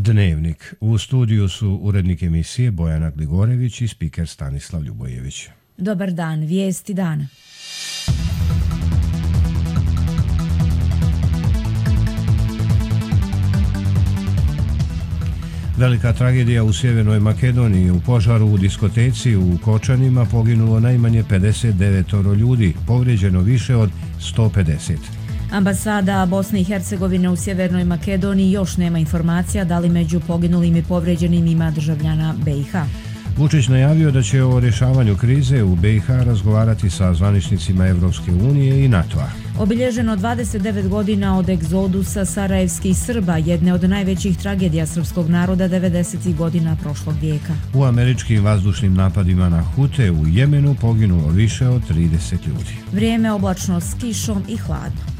Dnevnik. U studiju su urednik emisije Bojana Gligorević i spiker Stanislav Ljubojević. Dobar dan, vijesti dana. Velika tragedija u Sjevernoj Makedoniji. U požaru u diskoteci u Kočanima poginulo najmanje 59 ljudi, povrijeđeno više od 150. Ambasada Bosne i Hercegovine u Sjevernoj Makedoniji još nema informacija da li među poginulim i povrijeđenim ima državljana BiH. Vučić najavio da će o rješavanju krize u BiH razgovarati sa zvaničnicima Evropske unije i NATO-a. Obilježeno 29 godina od egzodusa sarajevskih Srba, jedne od najvećih tragedija srpskog naroda 90. godina prošlog vijeka. U američkim vazdušnim napadima na Hute u Jemenu poginulo više od 30 ljudi. Vrijeme oblačno s kišom i hladno.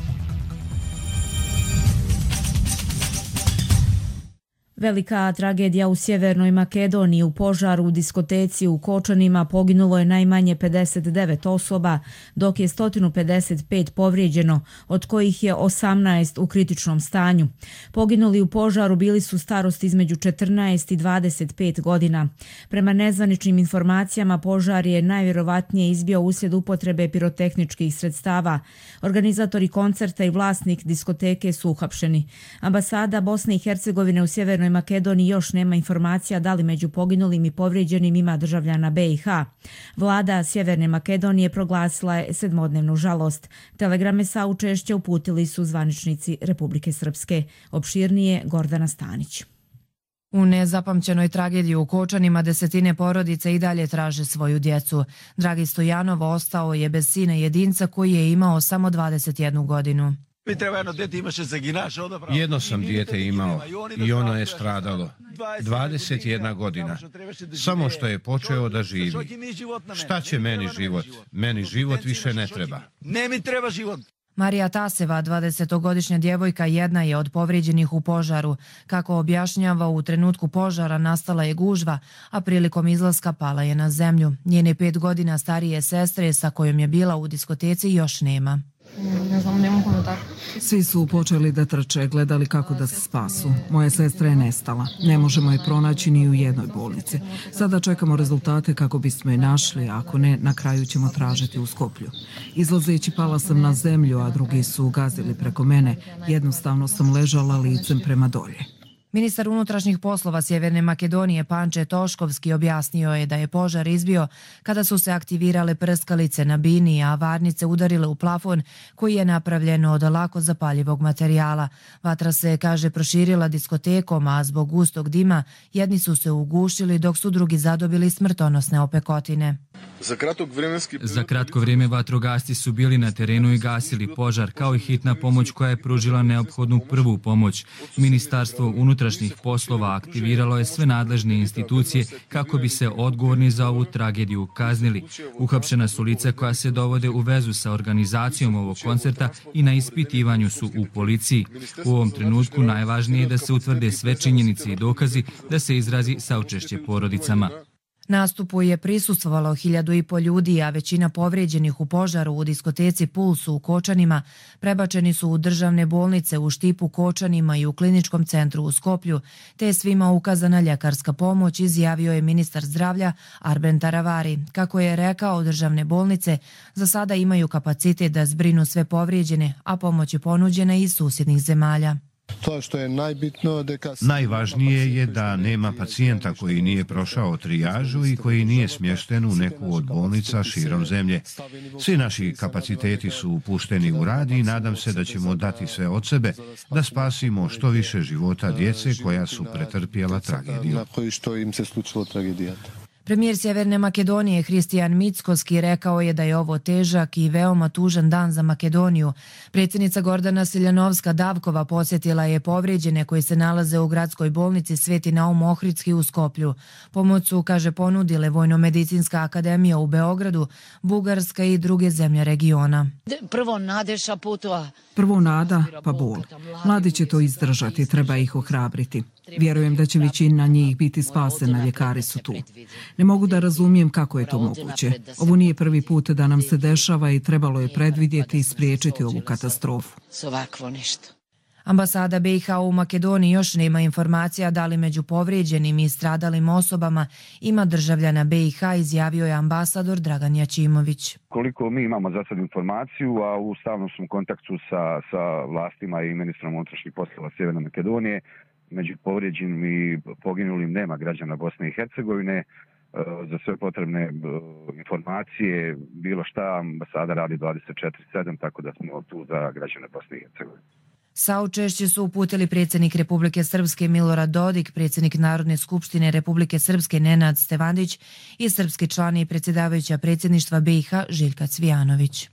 Velika tragedija u Sjevernoj Makedoniji. U požaru u diskoteci u Kočanima poginulo je najmanje 59 osoba, dok je 155 povrijeđeno, od kojih je 18 u kritičnom stanju. Poginuli u požaru bili su starosti između 14 i 25 godina. Prema nezvaničnim informacijama, požar je najvjerovatnije izbio uslijed upotrebe pirotehničkih sredstava. Organizatori koncerta i vlasnik diskoteke su uhapšeni. Ambasada Bosne i Hercegovine u Sjevernoj Makedoniji još nema informacija da li među poginulim i povrijeđenim ima državljana BiH. Vlada Sjeverne Makedonije proglasila je 7-dnevnu žalost. Telegrame saučešća uputili su zvaničnici Republike Srpske. Opširnije Gordana Stanić. U nezapamćenoj tragediji u Kočanima desetine porodice i dalje traže svoju djecu. Dragi Stojanov ostao je bez sina jedinca koji je imao samo 21 godinu. Jedno sam dijete imao i ono je stradalo. 21 godina. Samo što je počeo da živi. Šta će meni život? Meni život više ne treba. Marija Taseva, 20-godišnja djevojka, jedna je od povrijeđenih u požaru. Kako objašnjava, u trenutku požara nastala je gužva, a prilikom izlaska pala je na zemlju. Njene 5 godina starije sestre sa kojom je bila u diskoteci još nema. Svi su počeli da trče, gledali kako da se spasu. Moja sestra je nestala. Ne možemo je pronaći ni u jednoj bolnici. Sada čekamo rezultate kako bismo je našli, a ako ne, na kraju ćemo tražiti u Skoplju. Izlazeći pala sam na zemlju, a drugi su gazili preko mene. Jednostavno sam ležala licem prema dolje. Ministar unutrašnjih poslova Sjeverne Makedonije Panče Toškovski objasnio je da je požar izbio kada su se aktivirale prskalice na bini, a varnice udarile u plafon koji je napravljen od lako zapaljivog materijala. Vatra se, kaže, proširila diskotekom, a zbog gustog dima jedni su se ugušili dok su drugi zadobili smrtonosne opekotine. Za kratko vrijeme vatrogasci su bili na terenu i gasili požar, kao i hitna pomoć koja je pružila neophodnu prvu pomoć. Ministarstvo unutrašnjih poslova aktiviralo je sve nadležne institucije kako bi se odgovorni za ovu tragediju kaznili. Uhapšena su lica koja se dovode u vezu sa organizacijom ovog koncerta i na ispitivanju su u policiji. U ovom trenutku najvažnije je da se utvrde sve činjenice i dokazi, da se izrazi saučešće porodicama. Nastupu je prisustvovalo 1.500 ljudi, a većina povrijeđenih u požaru u diskoteci Pulsu u Kočanima prebačeni su u državne bolnice u Štipu, Kočanima i u kliničkom centru u Skoplju, te je svima ukazana ljekarska pomoć, izjavio je ministar zdravlja Arben Taravari. Kako je rekao, državne bolnice za sada imaju kapacitet da zbrinu sve povrijeđene, a pomoć je ponuđena iz susjednih zemalja. Najvažnije je da nema pacijenta koji nije prošao trijažu i koji nije smješten u neku od bolnica širom zemlje. Svi naši kapaciteti su upušteni u rad i nadam se da ćemo dati sve od sebe da spasimo što više života djece koja su pretrpjela tragediju. Premijer Sjeverne Makedonije Hristijan Mickoski rekao je da je ovo težak i veoma tužan dan za Makedoniju. Predsjednica Gordana Siljanovska-Davkova posjetila je povrijeđene koji se nalaze u gradskoj bolnici Sveti Naum Ohridski u Skoplju. Pomoć su, kaže, ponudile Vojno-medicinska akademija u Beogradu, Bugarska i druge zemlje regiona. Prvo nada, pa bol. Mladi će to izdržati, treba ih ohrabriti. Vjerujem da će većina njih biti spasena, ljekari su tu. Ne mogu da razumijem kako je to moguće. Ovo nije prvi put da nam se dešava i trebalo je predvidjeti i spriječiti ovu katastrofu. Ambasada BiH u Makedoniji još nema informacija da li među povrijeđenim i stradalim osobama ima državljana BiH, izjavio je ambasador Dragan Jačimović. Koliko mi imamo za sad informaciju, a u stalnom smo kontaktu sa vlastima i ministrom unutrašnjih poslova Sjeverne Makedonije, među povrijeđenim i poginulim nema građana Bosne i Hercegovine. Za sve potrebne informacije, bilo šta, ambasada radi 24/7, tako da smo tu za građane Bosne i Hercegovine. Saučešće su uputili predsjednik Republike Srpske Milorad Dodik, predsjednik Narodne skupštine Republike Srpske Nenad Stevandić i srpski član i predsjedavajuća predsjedništva BiH Željka Cvijanović.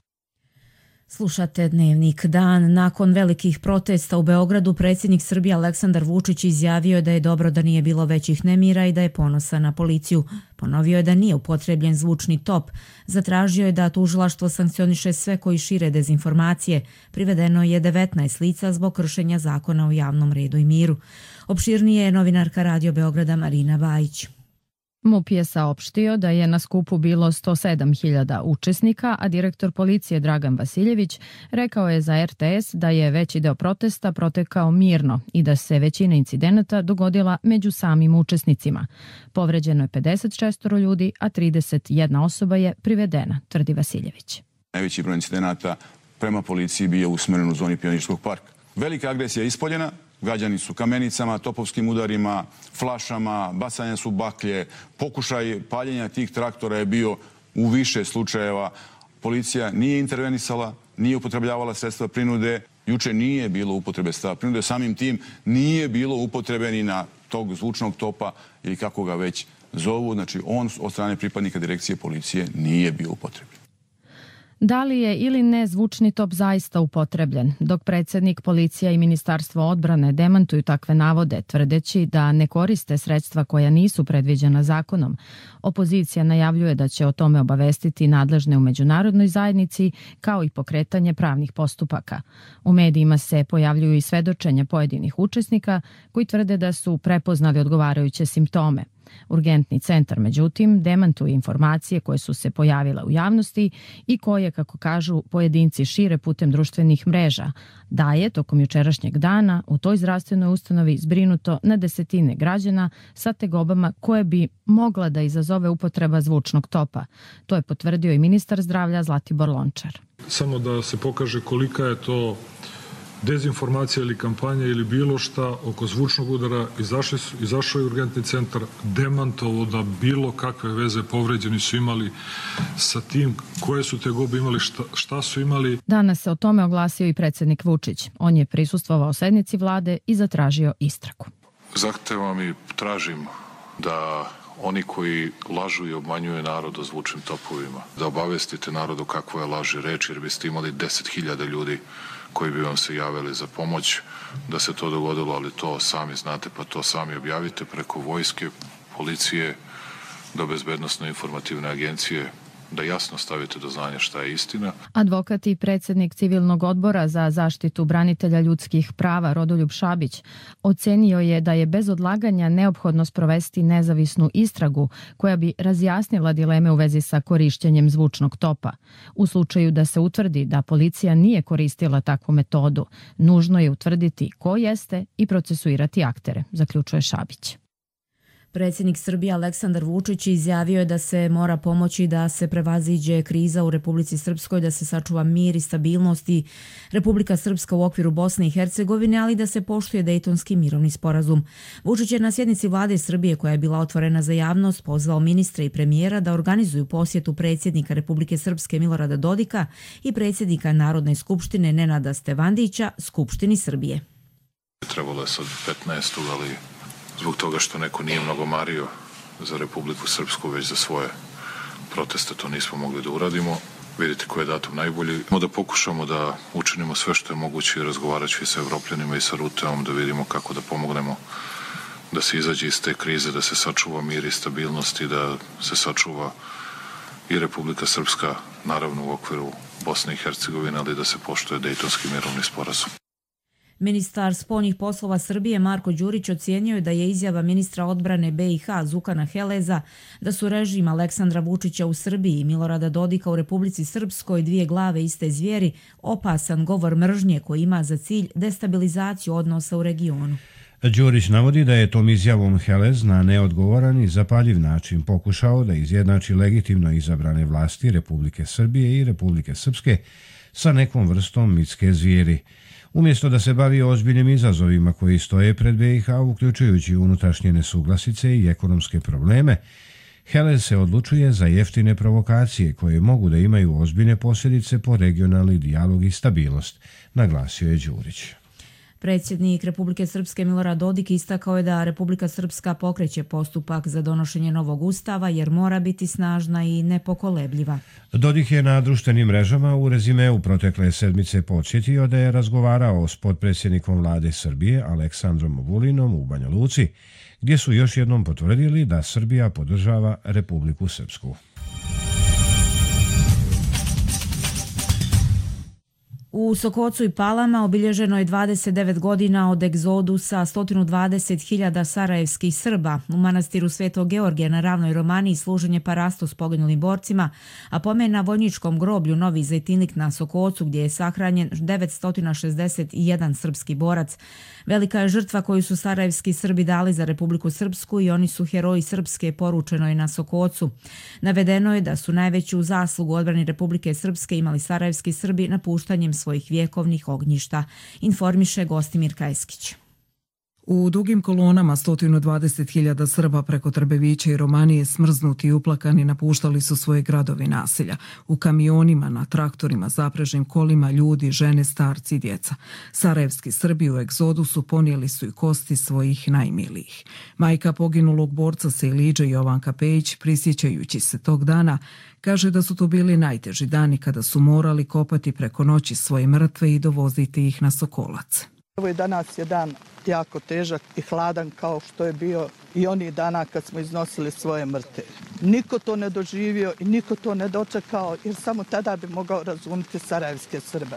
Slušate Dnevnik dan. Nakon velikih protesta u Beogradu, predsjednik Srbije Aleksandar Vučić izjavio je da je dobro da nije bilo većih nemira i da je ponosan na policiju. Ponovio je da nije upotrebljen zvučni top. Zatražio je da tužilaštvo sankcioniše sve koji šire dezinformacije. Privedeno je 19 lica zbog kršenja zakona o javnom redu i miru. Opširnije je novinarka Radio Beograda Marina Bajić. MUP je saopštio da je na skupu bilo 107.000 učesnika, a direktor policije Dragan Vasiljević rekao je za RTS da je veći deo protesta protekao mirno i da se većina incidenata dogodila među samim učesnicima. Povređeno je 56 ljudi, a 31 osoba je privedena, tvrdi Vasiljević. Najveći broj incidenata prema policiji bio usmjeren u zoni Pionirskog parka. Velika agresija je ispoljena. Gađani su kamenicama, topovskim udarima, flašama, bacanja su baklje, pokušaj paljenja tih traktora je bio u više slučajeva. Policija nije intervenisala, nije upotrebljavala sredstva prinude, juče nije bilo upotrebe sredstva prinude, samim tim nije bilo upotrebe ni na tog zvučnog topa ili kako ga već zovu, znači on od strane pripadnika direkcije policije nije bio upotrebljen. Da li je ili ne zvučni top zaista upotrebljen, dok predsjednik, policija i Ministarstvo odbrane demantuju takve navode, tvrdeći da ne koriste sredstva koja nisu predviđena zakonom. Opozicija najavljuje da će o tome obavestiti nadležne u međunarodnoj zajednici, kao i pokretanje pravnih postupaka. U medijima se pojavljuju i svedočenja pojedinih učesnika koji tvrde da su prepoznali odgovarajuće simptome. Urgentni centar, međutim, demantuje informacije koje su se pojavile u javnosti i koje, kako kažu, pojedinci šire putem društvenih mreža, da je tokom jučerašnjeg dana u toj zdravstvenoj ustanovi zbrinuto na desetine građana sa tegobama koje bi mogla da izazove upotreba zvučnog topa. To je potvrdio i ministar zdravlja Zlatibor Lončar. Samo da se pokaže kolika je to dezinformacija ili kampanja ili bilo šta oko zvučnog udara, izašao je urgentni centar, demantovo da bilo kakve veze povređeni su imali sa tim, koje su tegobe imali, šta su imali. Danas se o tome oglasio i predsjednik Vučić. On je prisustvovao sednici vlade i zatražio istragu. Zahtevam i tražim da oni koji lažu i obmanjuju narod o zvučnim topovima, da obavestite narodu kakva je laž i reč, jer biste imali 10.000 ljudi koji bi vam se javili za pomoć da se to dogodilo, ali to sami znate, pa to sami objavite preko vojske, policije, do bezbednosno-informativne agencije, da jasno stavite do znanja šta je istina. Advokat i predsjednik Civilnog odbora za zaštitu branitelja ljudskih prava Rodoljub Šabić ocenio je da je bez odlaganja neophodno sprovesti nezavisnu istragu koja bi razjasnila dileme u vezi sa korišćenjem zvučnog topa. U slučaju da se utvrdi da policija nije koristila takvu metodu, nužno je utvrditi ko jeste i procesuirati aktere, zaključuje Šabić. Predsjednik Srbije Aleksandar Vučić izjavio je da se mora pomoći da se prevaziđe kriza u Republici Srpskoj, da se sačuva mir i stabilnost i Republika Srpska u okviru Bosne i Hercegovine, ali da se poštuje Dejtonski mirovni sporazum. Vučić je na sjednici vlade Srbije, koja je bila otvorena za javnost, pozvao ministre i premijera da organizuju posjetu predsjednika Republike Srpske Milorada Dodika i predsjednika Narodne skupštine Nenada Stevandića Skupštini Srbije. Trebalo je sad 15. ali zbog toga što neko nije mnogo mario za Republiku Srpsku, već za svoje proteste, to nismo mogli da uradimo. Vidite koji je datum najbolji. Da pokušamo da učinimo sve što je moguće i razgovarajući sa Evropljanima i sa Ruteom, da vidimo kako da pomognemo da se izađe iz te krize, da se sačuva mir i stabilnost i da se sačuva i Republika Srpska, naravno u okviru Bosne i Hercegovine, ali da se poštuje Dejtonski mirovni sporazum. Ministar spoljnih poslova Srbije Marko Đurić ocijenio je da je izjava ministra odbrane BiH Zukana Heleza da su režim Aleksandra Vučića u Srbiji i Milorada Dodika u Republici Srpskoj dvije glave iste zvijeri opasan govor mržnje koji ima za cilj destabilizaciju odnosa u regionu. Đurić navodi da je tom izjavom Helez na neodgovoran i zapaljiv način pokušao da izjednači legitimno izabrane vlasti Republike Srbije i Republike Srpske sa nekom vrstom mitske zvijeri. Umjesto da se bavi ozbiljnim izazovima koji stoje pred BiH, uključujući unutrašnje nesuglasice i ekonomske probleme, Helez se odlučuje za jeftine provokacije koje mogu da imaju ozbiljne posljedice po regionalni dijalog i stabilnost, naglasio je Đurić. Predsjednik Republike Srpske Milorad Dodik istakao je da Republika Srpska pokreće postupak za donošenje novog ustava jer mora biti snažna i nepokolebljiva. Dodik je na društvenim mrežama u rezimeu protekle sedmice podsjetio da je razgovarao s potpredsjednikom vlade Srbije Aleksandrom Vulinom u Banja Luci, gdje su još jednom potvrdili da Srbija podržava Republiku Srpsku. U Sokocu i Palama obilježeno je 29 godina od egzodusa 120.000 sarajevskih Srba. U manastiru Svetog Georgija na Ravnoj Romaniji služenje parasto s poginulim borcima, a pomen na vojničkom groblju Novi Zejtinlik na Sokocu gdje je sahranjen 961 srpski borac. Velika je žrtva koju su sarajevski Srbi dali za Republiku Srpsku i oni su heroji Srpske, poručeno je na Sokocu. Navedeno je da su najveću zaslugu odbrani Republike Srpske imali sarajevski Srbi napuštanjem svojih vjekovnih ognjišta, informiše Gostimir Kajskić. U dugim kolonama 120.000 Srba preko Trbevića i Romanije smrznuti i uplakani napuštali su svoje gradovi naselja. U kamionima, na traktorima, zaprežnim kolima, ljudi, žene, starci i djeca. Sarajevski Srbi u egzodusu ponijeli su i kosti svojih najmilijih. Majka poginulog borca Sejliđe Jovanka Pejić, prisjećajući se tog dana, kaže da su to bili najteži dani kada su morali kopati preko noći svoje mrtve i dovoziti ih na Sokolac. Evo i danas je dan jako težak i hladan kao što je bio i onih dana kad smo iznosili svoje mrtve. Niko to ne doživio i niko to ne dočekao jer samo tada bi mogao razumjeti sarajevske Srbe.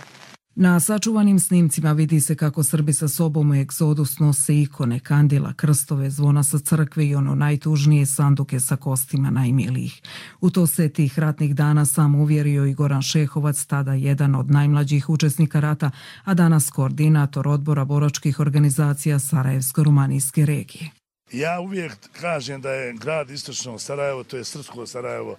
Na sačuvanim snimcima vidi se kako Srbi sa sobom u egzodus nose ikone, kandila, krstove, zvona sa crkve i ono najtužnije sanduke sa kostima najmilijih. U to se tih ratnih dana sam uvjerio i Goran Šehovac, tada jedan od najmlađih učesnika rata, a danas koordinator odbora boračkih organizacija Sarajevsko-Rumanijske regije. Ja uvijek kažem da je grad istočnog Sarajevo, to je srpsko Sarajevo,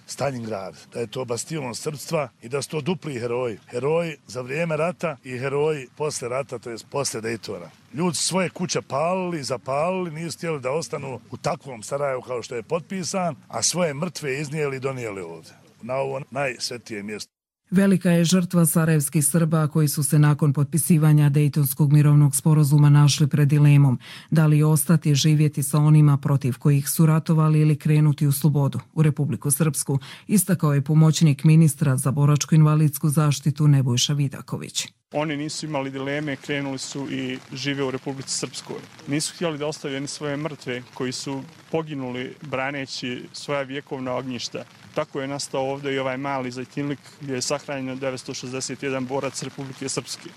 Stalingrad, da je to bastion srpstva i da su to dupli heroji. Heroji za vrijeme rata i heroji posle rata, to je posle Dejtona. Ljudi su svoje kuće palili, zapalili, nisu htjeli da ostanu u takvom Sarajevu kao što je potpisan, a svoje mrtve iznijeli i donijeli ovdje, na ovo najsvetije mjesto. Velika je žrtva sarajevskih Srba koji su se nakon potpisivanja Dejtonskog mirovnog sporazuma našli pred dilemom da li ostati živjeti sa onima protiv kojih su ratovali ili krenuti u slobodu u Republiku Srpsku, istakao je pomoćnik ministra za boračko-invalidsku zaštitu Nebojša Vidaković. Oni nisu imali dileme, krenuli su i žive u Republici Srpskoj. Nisu htjeli da ostavljaju ni svoje mrtve koji su poginuli braneći svoja vjekovna ognjišta. Tako je nastao ovdje i ovaj mali Zejtinlik gdje je sahranjeno 961 borac Republike Srpske.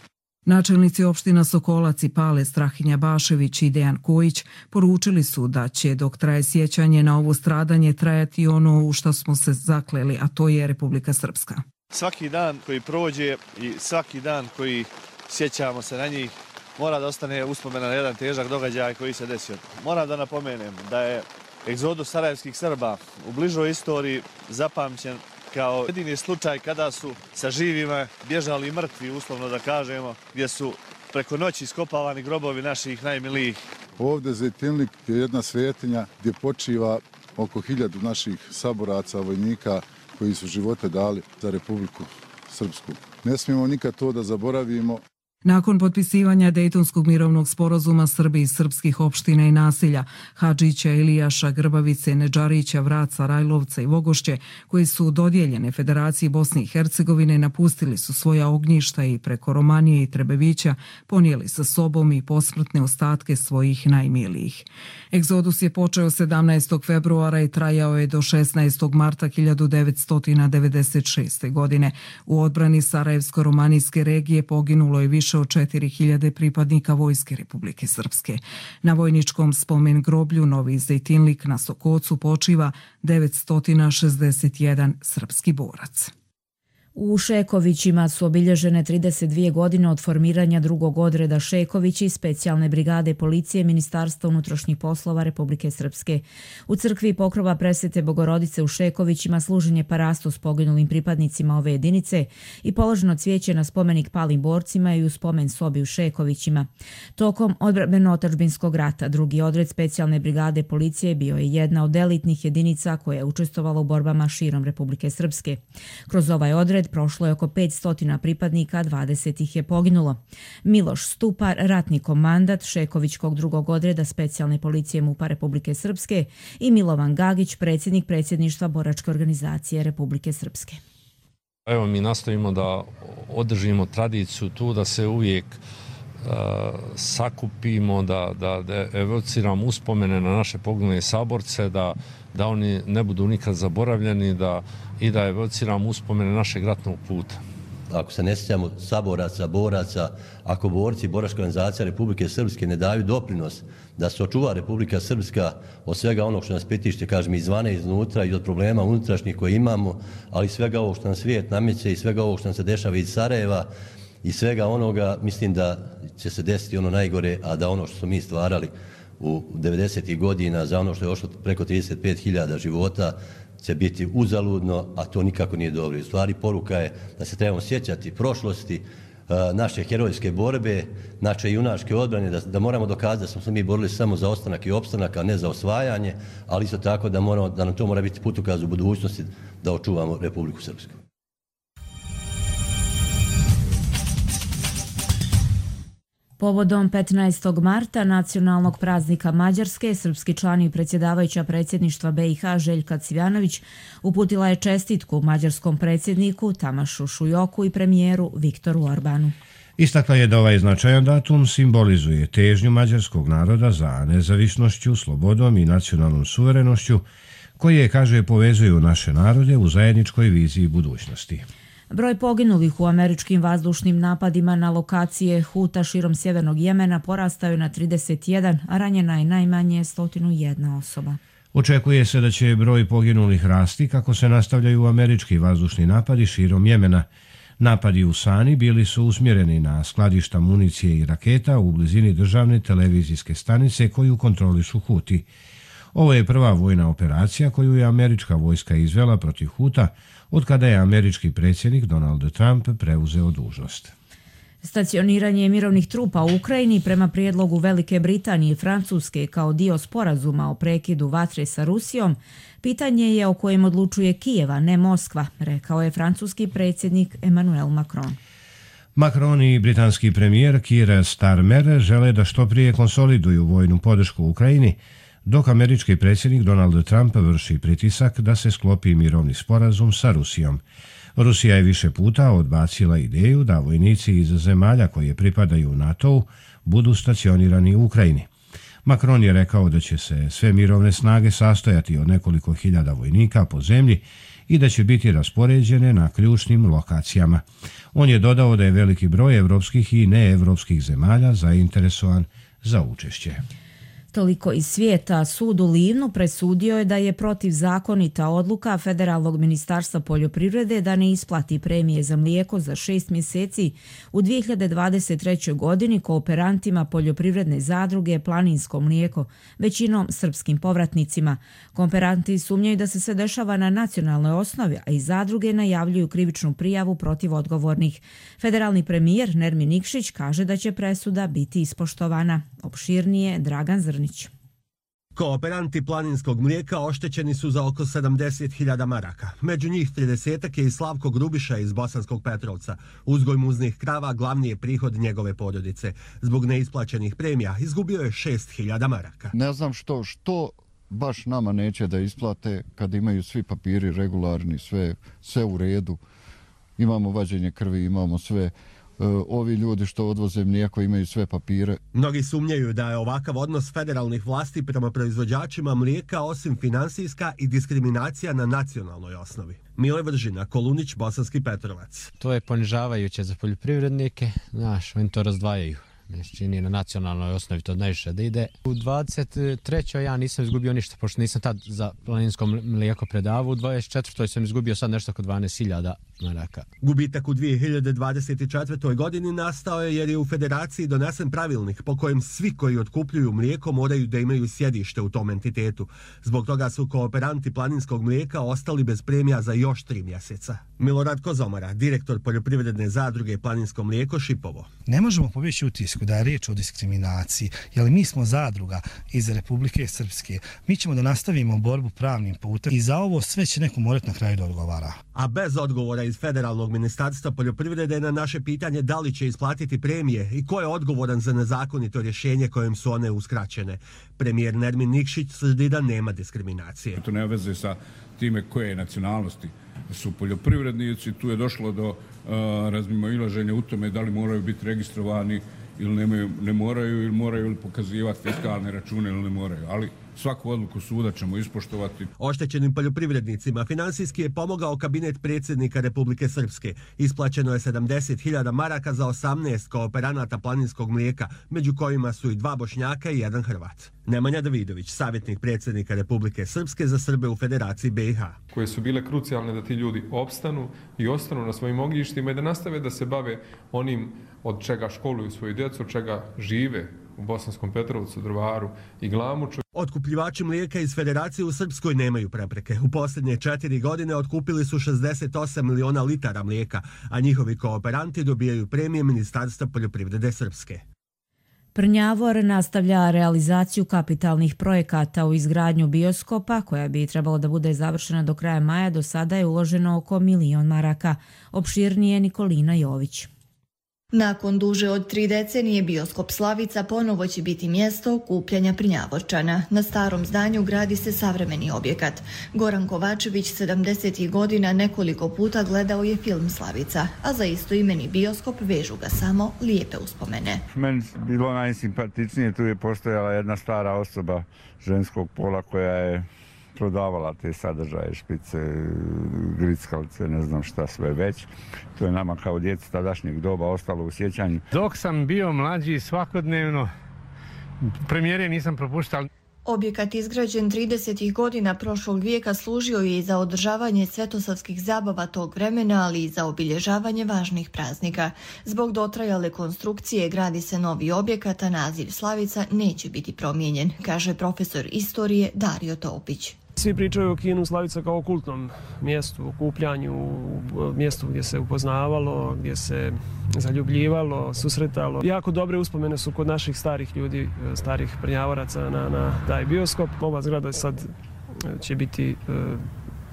Načelnici opština Sokolac i Pale Strahinja Bašević i Dejan Kojić poručili su da će dok traje sjećanje na ovo stradanje trajati ono u što smo se zakleli, a to je Republika Srpska. Svaki dan koji prođe i svaki dan koji sjećamo se na njih mora da ostane uspomena na jedan težak događaj koji se desio. Moram da napomenem da je egzodus sarajevskih Srba u bližoj istoriji zapamćen kao jedini slučaj kada su sa živima bježali mrtvi, uslovno da kažemo, gdje su preko noći iskopavani grobovi naših najmilijih. Ovdje Zejtinlik je jedna svetinja gdje počiva oko 1000 naših saboraca, vojnika koji su živote dali za Republiku Srpsku. Ne smijemo nikad to da zaboravimo. Nakon potpisivanja Dejtonskog mirovnog sporazuma Srbi iz srpskih opština i naselja Hadžića, Ilijaša, Grbavice, Nedžarića, Vraca, Rajlovca i Vogošće, koji su dodijeljene Federaciji Bosne i Hercegovine, napustili su svoja ognjišta i preko Romanije i Trebevića ponijeli sa sobom i posmrtne ostatke svojih najmilijih. Egzodus je počeo 17. februara i trajao je do 16. marta 1996. godine. U odbrani Sarajevsko-Romanijske regije poginulo je više više od 4000 pripadnika Vojske Republike Srpske. Na vojničkom spomen groblju Novi Zejtinlik na Sokocu počiva 961 srpski borac. U Šekovićima su obilježene 32 godine od formiranja drugog odreda Šekovići specijalne brigade policije Ministarstva unutrašnjih poslova Republike Srpske. U crkvi Pokrova Presvete Bogorodice u Šekovićima služen je parasto s poginulim pripadnicima ove jedinice i položeno cvijeće na spomenik palim borcima i u spomen sobi u Šekovićima. Tokom odbrambeno-otadžbinskog rata drugi odred specijalne brigade policije bio je jedna od elitnih jedinica koja je učestvovala u borbama širom Republike Srpske. Kroz ovaj odred prošlo je oko 500 pripadnika, 20 ih je poginulo. Miloš Stupar, ratni komandant Šekovićkog drugog odreda specijalne policije MUP-a Republike Srpske i Milovan Gagić, predsjednik predsjedništva boračke organizacije Republike Srpske. Evo, mi nastavimo da održimo tradiciju tu, da se uvijek sakupimo, da evociramo uspomene na naše poginule saborce, da oni ne budu nikad zaboravljeni i da evociramo uspomene našeg ratnog puta. Ako se ne sjećamo saboraca, boraca, ako borci boračke organizacije Republike Srpske ne daju doprinos da se očuva Republika Srpska od svega onog što nas pritišće, kažem, izvana i iznutra i od problema unutrašnjih koje imamo, ali svega ovog što nam svijet nameće i svega ovog što nam se dešava iz Sarajeva i svega onoga, mislim da će se desiti ono najgore, a da ono što smo mi stvarali u 90. godina, za ono što je ošlo preko 35.000 života, će biti uzaludno, a to nikako nije dobro. U stvari, poruka je da se trebamo sjećati prošlosti, naše herojske borbe, naše junačke odbrane, da moramo dokazati da smo se mi borili samo za ostanak i opstanak, a ne za osvajanje, ali isto tako da nam to mora biti putokaz u budućnosti da očuvamo Republiku Srpsku. Povodom 15. marta, nacionalnog praznika Mađarske, srpski član i predsjedavajuća predsjedništva BiH Željka Cvjanović uputila je čestitku mađarskom predsjedniku Tamašu Šujoku i premijeru Viktoru Orbanu. Istakla je da ovaj značajan datum simbolizuje težnju mađarskog naroda za nezavisnošću, slobodom i nacionalnom suverenošću, koje, kaže, povezuju naše narode u zajedničkoj viziji budućnosti. Broj poginulih u američkim vazdušnim napadima na lokacije Huta širom sjevernog Jemena porastao je na 31, a ranjena je najmanje 101 osoba. Očekuje se da će broj poginulih rasti kako se nastavljaju američki vazdušni napadi širom Jemena. Napadi u Sani bili su usmjereni na skladišta municije i raketa u blizini državne televizijske stanice koju kontrolišu Huti. Ovo je prva vojna operacija koju je američka vojska izvela protiv Huta od kada je američki predsjednik Donald Trump preuzeo dužnost. Stacioniranje mirovnih trupa u Ukrajini prema prijedlogu Velike Britanije i Francuske kao dio sporazuma o prekidu vatre sa Rusijom pitanje je o kojem odlučuje Kijeva, ne Moskva, rekao je francuski predsjednik Emmanuel Macron. Macron i britanski premijer Keir Starmer žele da što prije konsoliduju vojnu podršku Ukrajini, dok američki predsjednik Donald Trump vrši pritisak da se sklopi mirovni sporazum sa Rusijom. Rusija je više puta odbacila ideju da vojnici iz zemalja koje pripadaju NATO-u budu stacionirani u Ukrajini. Macron je rekao da će se sve mirovne snage sastojati od nekoliko hiljada vojnika po zemlji i da će biti raspoređene na ključnim lokacijama. On je dodao da je veliki broj evropskih i neevropskih zemalja zainteresovan za učešće. Toliko iz svijeta. Sud u Livnu presudio je da je protivzakonita odluka Federalnog ministarstva poljoprivrede da ne isplati premije za mlijeko za 6 mjeseci u 2023. godini kooperantima poljoprivredne zadruge Planinsko mlijeko, većinom srpskim povratnicima. Kooperanti sumnjaju da se sve dešava na nacionalnoj osnovi, a i zadruge najavljuju krivičnu prijavu protiv odgovornih. Federalni premijer Nermin Nikšić kaže da će presuda biti ispoštovana. Opširnije Dragan Zrnić. Kooperanti Planinskog mlijeka oštećeni su za oko 70.000 maraka. Među njih 30 je i Slavko Grubiša iz Bosanskog Petrovca. Uzgoj muznih krava glavni je prihod njegove porodice. Zbog neisplaćenih premija izgubio je 6.000 maraka. Ne znam što baš nama neće da isplate kad imaju svi papiri regularni, sve u redu. Imamo vađenje krvi, imamo sve. ovi ljudi što odvoze mlijeko imaju sve papire. Mnogi sumnjaju da je ovakav odnos federalnih vlasti prema proizvođačima mlijeka osim finansijska i diskriminacija na nacionalnoj osnovi. Mile Vržina, Kolunić, Bosanski Petrovac. To je ponižavajuće za poljoprivrednike, oni to razdvajaju. Čini na nacionalnoj osnovi to najviše da ide. U 23. ja nisam izgubio ništa, pošto nisam tad za planinsko mlijeko predavao. U 24. sam izgubio sad nešto oko 12.000 maraka. Gubitak u 2024. godini nastao je jer je u federaciji donesen pravilnik po kojem svi koji otkupljuju mlijeko moraju da imaju sjedište u tom entitetu. Zbog toga su kooperanti planinskog mlijeka ostali bez premija za još 3 mjeseca. Milorad Kozomara, direktor poljoprivredne zadruge Planinsko mlijeko Šipovo. Ne možemo pobjeći utisku da je riječ o diskriminaciji, jer mi smo zadruga iz Republike Srpske. Mi ćemo da nastavimo borbu pravnim putem i za ovo sve će neko morati na kraju da odgovara. A bez odgovora iz Federalnog ministarstva poljoprivrede na naše pitanje da li će isplatiti premije i ko je odgovoran za nezakonito rješenje kojim su one uskraćene. Premijer Nermin Nikšić tvrdi da nema diskriminacije. To nema veze sa time koje nacionalnosti su poljoprivrednici. Tu je došlo do razmimoilaženja u tome da li moraju biti registrovani ili ne moraju, ili moraju pokazivati fiskalne račune ili ne moraju. Ali svaku odluku suda ćemo ispoštovati. Oštećenim poljoprivrednicima finansijski je pomogao kabinet predsjednika Republike Srpske. Isplaćeno je 70.000 maraka za 18 kooperanata planinskog mlijeka, među kojima su i 2 Bošnjaka i 1 Hrvat. Nemanja Davidović, savjetnik predsjednika Republike Srpske za Srbe u Federaciji BiH. Koje su bile krucijalne da ti ljudi opstanu i ostanu na svojim ognjištima i da nastave da se bave onim od čega školuju svoju djecu, od čega žive u Bosanskom Petrovcu, Drvaru i Glamuču. Otkupljivači mlijeka iz Federacije u Srpskoj nemaju prepreke. U posljednje 4 godine otkupili su 68 miliona litara mlijeka, a njihovi kooperanti dobijaju premije Ministarstva poljoprivrede Srpske. Prnjavor nastavlja realizaciju kapitalnih projekata u izgradnju bioskopa, koja bi trebalo da bude završena do kraja maja. Do sada je uloženo oko 1 milion maraka. Opširnije Nikolina Jović. Nakon duže od 3 decenije bioskop Slavica ponovo će biti mjesto okupljanja Prnjavorčana. Na starom zdanju gradi se savremeni objekat. Goran Kovačević 70. godina nekoliko puta gledao je film Slavica, a za istoimeni bioskop vežu ga samo lijepe uspomene. Meni bilo najsimpatičnije, tu je postojala jedna stara osoba ženskog pola koja je prodavala te sadržaje, špice, grickalice, ne znam šta sve već. To je nama kao djeci tadašnjeg doba ostalo u sjećanju. Dok sam bio mlađi svakodnevno, premijere nisam propuštao. Objekat izgrađen 30. godina prošlog vijeka služio je i za održavanje svetosavskih zabava tog vremena, ali i za obilježavanje važnih praznika. Zbog dotrajale konstrukcije gradi se novi objekat, a naziv Slavica neće biti promijenjen, kaže profesor istorije Dario Topić. Svi pričaju o kinu Slavica kao kultnom mjestu, okupljanju, mjestu gdje se upoznavalo, gdje se zaljubljivalo, susretalo. Jako dobre uspomene su kod naših starih ljudi, starih Prnjavoraca na taj bioskop. Ova zgrada sad će biti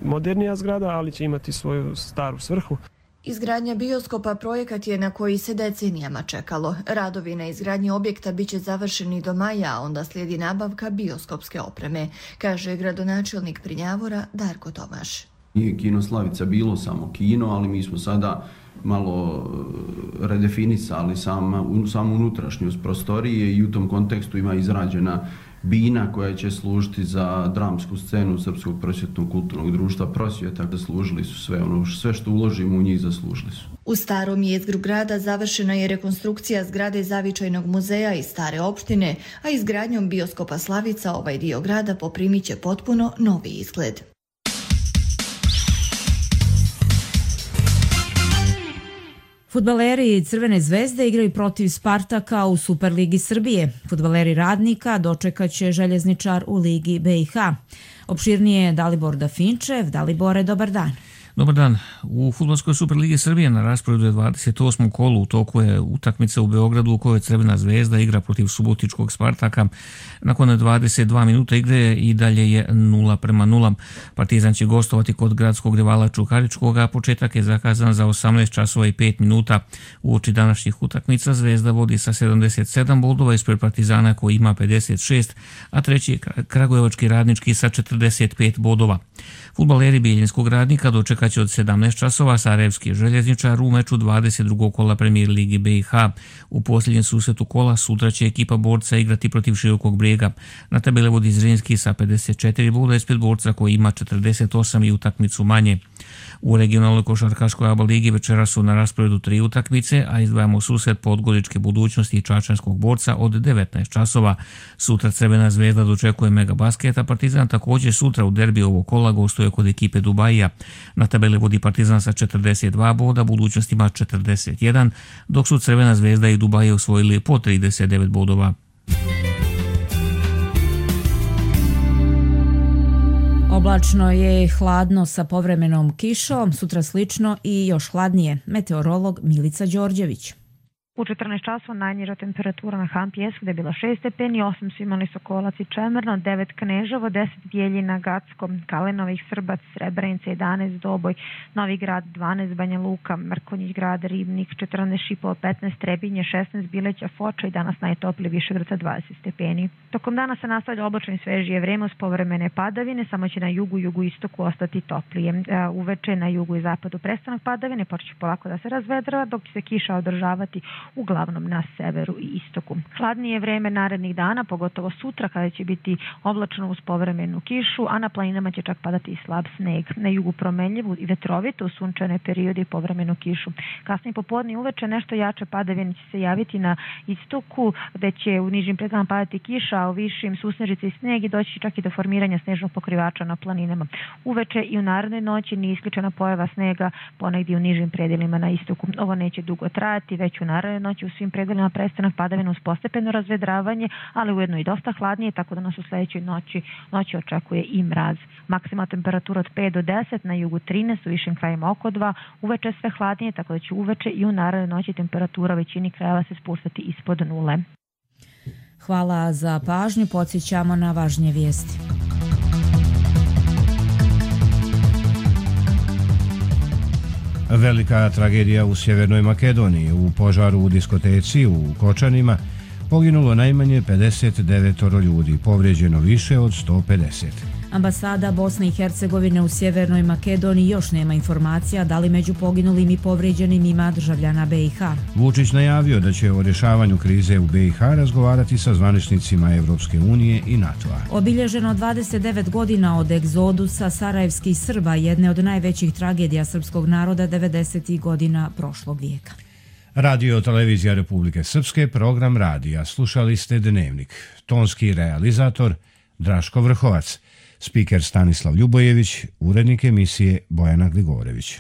modernija zgrada, ali će imati svoju staru svrhu. Izgradnja bioskopa projekat je na koji se decenijama čekalo. Radovi na izgradnji objekta biće završeni do maja, a onda slijedi nabavka bioskopske opreme, kaže gradonačelnik Prnjavora Darko Tomaš. Nije kino Slavica bilo samo kino, ali mi smo sada malo redefinisali samu unutrašnjost prostorije i u tom kontekstu ima izrađena bina koja će služiti za dramsku scenu Srpskog prosvjetnog kulturnog društva Prosvjeta. Zaslužili su sve što uložimo u njih zaslužili su. U starom jezgru grada završena je rekonstrukcija zgrade Zavičajnog muzeja iz stare opštine, a izgradnjom bioskopa Slavica ovaj dio grada poprimit će potpuno novi izgled. Fudbaleri Crvene zvezde igraju protiv Spartaka u Superligi Srbije. Fudbaleri Radnika dočekaće Željezničar u Ligi BiH. Opširnije Dalibor Dafinčev. Dalibore, dobar dan. Dobar dan. U Fudbalskoj Superligi Srbije na rasporedu je 28. kolu. U toku je utakmica u Beogradu u kojoj Crvena zvezda igra protiv Subotičkog Spartaka. Nakon 22 minuta igre i dalje je 0:0. Partizan će gostovati kod gradskog rivala Čukaričkog, a početak je zakazan za 18 časova i 5 minuta. Uoči današnjih utakmica Zvezda vodi sa 77 bodova ispred Partizana koji ima 56, a treći je Kragujevački Radnički sa 45 bodova. Fudbaleri Bijeljinskog Radnika dočekat će od 17 časova Sarajevski željezničar u meču 22. kola Premier Ligi BiH. U posljednjem susretu kola sutra će ekipa Borca igrati protiv Širokog Brijega. Na tabeli vodi Zrinski sa 54 boda ispred Borca koji ima 48 i utakmicu manje. U regionalnoj košarkaškoj ABA ligi večera su na rasporedu 3 utakmice, a izdvajamo susret Podgoričke Budućnosti i Čačanskog Borca od 19 časova. Sutra Crvena zvezda dočekuje Megabasket, a Partizan također sutra u derbi ovog kola gostuje kod ekipe Dubajija. Na tabeli vodi Partizan sa 42 boda, Budućnost ima 41, dok su Crvena zvezda i Dubajija osvojili po 39 bodova. Oblačno je i hladno sa povremenom kišom, sutra slično i još hladnije. Meteorolog Milica Đorđević. U 14 časova najniža temperatura na Hampi Jesu gdje je bila 6 stepeni, 8 su imali Sokolac i Čemerno, 9 Kneževo, 10 Bjeljina, Gacko, Kalenovih, Srbac, Srebrenica, 11 Doboj, Novi Grad, 12 Banja Luka, Mrkonjić Grad, Ribnik, 14 Šipovo, 15 Trebinje, 16 Bileća, Foča i danas najtoplije Višegrada 20 stepeni. Tokom dana se nastavlja oblačno i svežije vrijeme uz povremene padavine, samo će na jugu i jugoistoku ostati toplije. Uveče na jugu i zapadu prestanak padavine, počeće polako da se razvedrava, dok će se kiša održavati uglavnom na severu i istoku. Hladnije vrijeme narednih dana, pogotovo sutra kada će biti oblačno uz povremenu kišu, a na planinama će čak padati i slab sneg. Na jugu promenljivu i vetrovito u sunčane periode i povremenu kišu. Kasnije popodne i uveče nešto jače padavine će se javiti na istoku, gdje će u nižim predjelama padati kiša, a u višim susnežice i sneg i doći čak i do formiranja snežnog pokrivača na planinama. Uveče i u narednoj noći nije isključena pojava snega ponegdje u nižim predjelima na istoku. Ovo neće dugo trajati, već u narednoj noći u svim predjelima prestanak padavina uz postepeno razvedravanje, ali ujedno i dosta hladnije, tako da nas u sljedećoj noći očekuje i mraz. Maksimalna temperatura od 5 do 10, na jugu 13, u višim krajima oko 2, uveče sve hladnije, tako da će uveče i u narednoj noći temperatura u većini krajeva se spustati ispod nule. Hvala za pažnju, podsjećamo na važnije vijesti. Velika tragedija u Sjevernoj Makedoniji. U požaru u diskoteci u Kočanima poginulo najmanje 59 ljudi, povrijeđeno više od 150. Ambasada Bosne i Hercegovine u Sjevernoj Makedoniji još nema informacija da li među poginulim i povrijeđenim ima državljana BiH. Vučić najavio da će o rješavanju krize u BiH razgovarati sa zvaničnicima Evropske unije i NATO-a. Obilježeno 29 godina od egzodusa sarajevskih Srba, jedne od najvećih tragedija srpskog naroda 90. godina prošlog vijeka. Radio Televizija Republike Srpske, program radija. Slušali ste Dnevnik. Tonski realizator Draško Vrhovac. Spiker Stanislav Ljubojević, urednik emisije Bojana Gligorević.